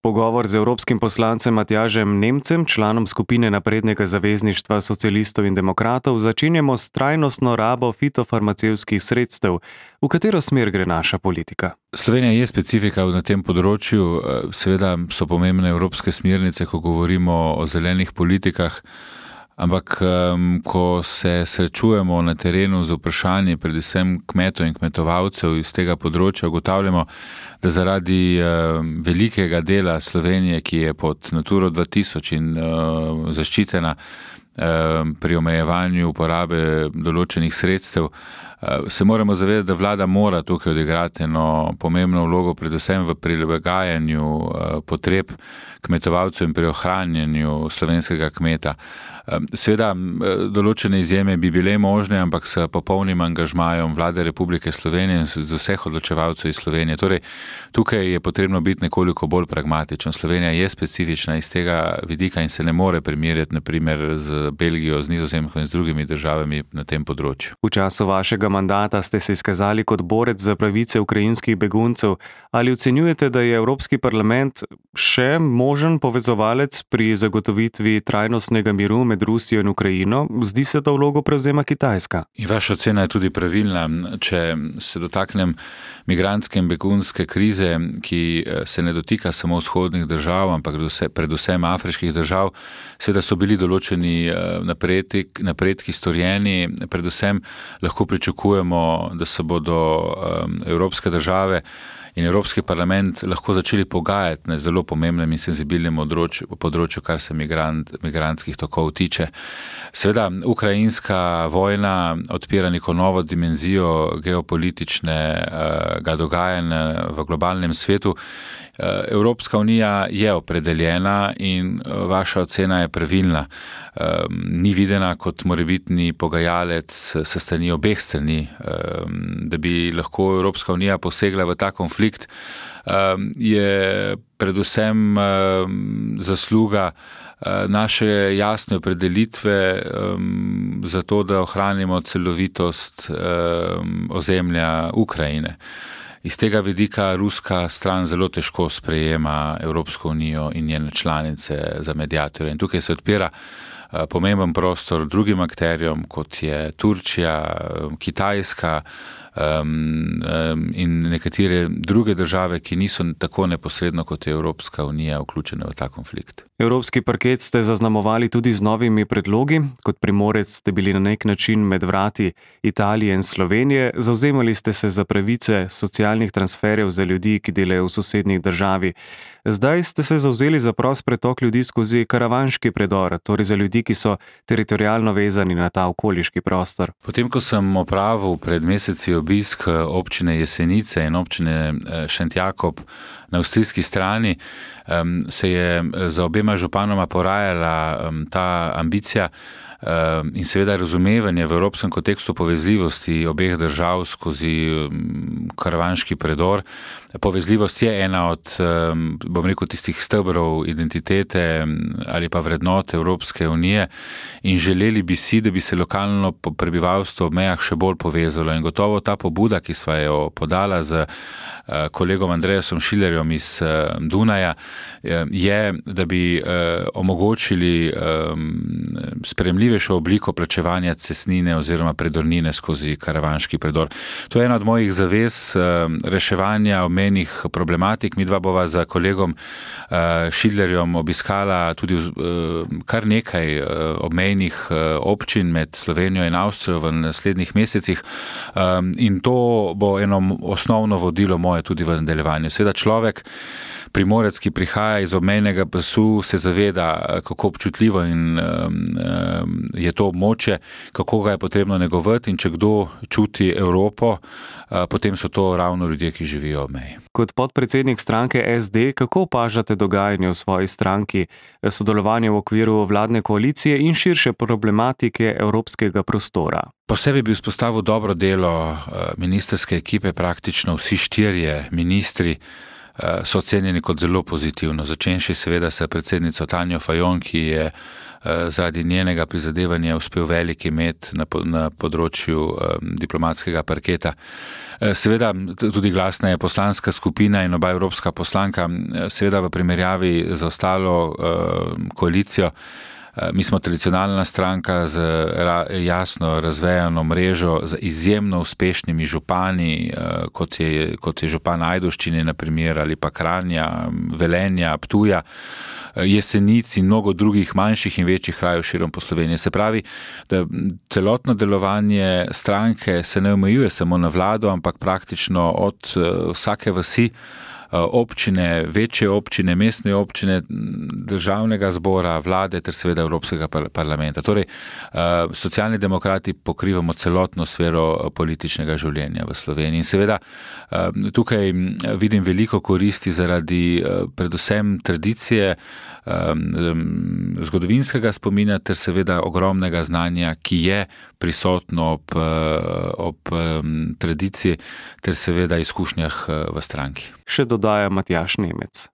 Pogovor z evropskim poslancem Matjažem Nemcem, članom skupine Naprednega zavezništva socialistov in demokratov, začenjamo s trajnostno rabo fitofarmacevtskih sredstev. V katero smer gre naša politika? Slovenija je specifika na tem področju. Seveda so pomembne evropske smernice, ko govorimo o zelenih politikah, ampak ko se srečujemo na terenu z vprašanji predvsem kmetov in kmetovalcev iz tega področja, ugotavljamo, da zaradi velikega dela Slovenije, ki je pod Naturo 2000 in zaščitena pri omejevanju uporabe določenih sredstev, se moramo zavedati, da vlada mora tukaj odigrati eno pomembno vlogo, predvsem v prilagajanju potreb kmetovalcev in pri ohranjanju slovenskega kmeta. Seveda, določene izjeme bi bile možne, ampak s popolnim angažmajem Vlade Republike Slovenije in z vseh odločevalcev iz Slovenije. Torej, tukaj je potrebno biti nekoliko bolj pragmatičen. Slovenija je specifična iz tega vidika in se ne more primerjati, naprimer, z Belgijo, z Nizozemsko in z drugimi državami na tem področju. V času vašega mandata ste se izkazali kot borec za pravice ukrajinskih beguncev. Ali ocenjujete, da je Evropski parlament še možen povezovalec pri zagotovitvi trajnostnega miru med Rusijo in Ukrajino? Zdi se, da vlogo prevzema Kitajska. In vaša ocena je tudi pravilna. Če se dotaknem migrantske in begunske krize, ki se ne dotika samo vzhodnih držav, ampak predvsem afriških držav, seveda so bili določeni napredki storjeni. Predvsem lahko pričakujemo, da se bodo evropske države in Evropski parlament lahko začeli pogajati na zelo pomembnem in senzibilnem področju, kar se migrantskih tokov tiče. Seveda, ukrajinska vojna odpira neko novo dimenzijo geopolitičnega dogajanja v globalnem svetu. Evropska unija je opredeljena in vaša ocena je pravilna. Ni videna kot morebitni pogajalec s strani obeh strani. Da bi lahko Evropska unija posegla v ta konflikt, je predvsem zasluga naše jasne opredelitve za to, da ohranimo celovitost ozemlja Ukrajine. Iz tega vidika ruska stran zelo težko sprejema Evropsko unijo in njene članice za mediatorje. In tukaj se odpira pomemben prostor drugim akterjem, kot je Turčija, Kitajska in nekatere druge države, ki niso tako neposredno kot je Evropska unija vključene v ta konflikt. Evropski parket ste zaznamovali tudi z novimi predlogi. Kot Primorec ste bili na nek način med vrati Italije in Slovenije. Zavzemali ste se za pravice socialnih transferjev za ljudi, ki delajo v sosednjih državi. Zdaj ste se zavzeli za prost pretok ljudi skozi karavanški predor, torej za ljudi, ki so teritorialno vezani na ta okoliški prostor. Potem, ko sem opravil pred meseci obisk občine Jesenice in občine Šentjakob na avstrijski strani, se je za obema županoma porajala ta ambicija in seveda razumevanje v evropskem kontekstu povezljivosti obeh držav skozi karavanški predor. Povezljivost je ena od, bom rekel, tistih stebrov identitete ali pa vrednot Evropske unije in želeli bi si, da bi se lokalno prebivalstvo ob mejah še bolj povezalo. In gotovo ta pobuda, ki sva jo podala z kolegom Andreasom Schillerjem iz Dunaja, je, da bi omogočili sprejemljivejšo obliko plačevanja cestnine oziroma predornine skozi karavanški predor. To je ena od mojih zavez reševanja obmejnih problematik. Midva bova za kolegom Schillerjem obiskala tudi kar nekaj obmejnih občin med Slovenijo in Avstrijo v naslednjih mesecih in to bo eno osnovno vodilo moje tudi v nadaljevanju. Seveda človek, Primorec, ki prihaja iz obmejnega pasu, se zaveda, kako občutljivo in je to območje, kako ga je potrebno negovati in če kdo čuti Evropo, potem so to ravno ljudje, ki živijo ob meji. Kot podpredsednik stranke SD, kako opažate dogajanje v svoji stranki, sodelovanje v okviru vladne koalicije in širše problematike evropskega prostora? Posebej bi izpostavil dobro delo ministrske ekipe, praktično vsi štirje ministri so ocenjeni kot zelo pozitivno. Začenši seveda s predsednico Tanjo Fajon, ki je zaradi njenega prizadevanja uspel veliki met na področju diplomatskega parketa. Seveda tudi glasna je poslanska skupina in oba evropska poslanka, seveda v primerjavi z ostalo koalicijo. Mi smo tradicionalna stranka z jasno razvejano mrežo, z izjemno uspešnimi župani, kot je župan Ajdovščine, na primer, ali pa Kranja, Velenja, Ptuja, Jesenic in mnogo drugih manjših in večjih krajev širom po Sloveniji. Se pravi, da celotno delovanje stranke se ne omejuje samo na vlado, ampak praktično od vsake vasi, občine, večje občine, mestne občine, državnega zbora, vlade ter seveda Evropskega parlamenta. Torej, Socialni demokrati pokrivamo celotno sfero političnega življenja v Sloveniji. In seveda tukaj vidim veliko koristi zaradi predvsem tradicije, zgodovinskega spomina ter seveda ogromnega znanja, ki je prisotno ob tradiciji ter seveda izkušnjah v stranki. Še dodaja Matjaž Nemec.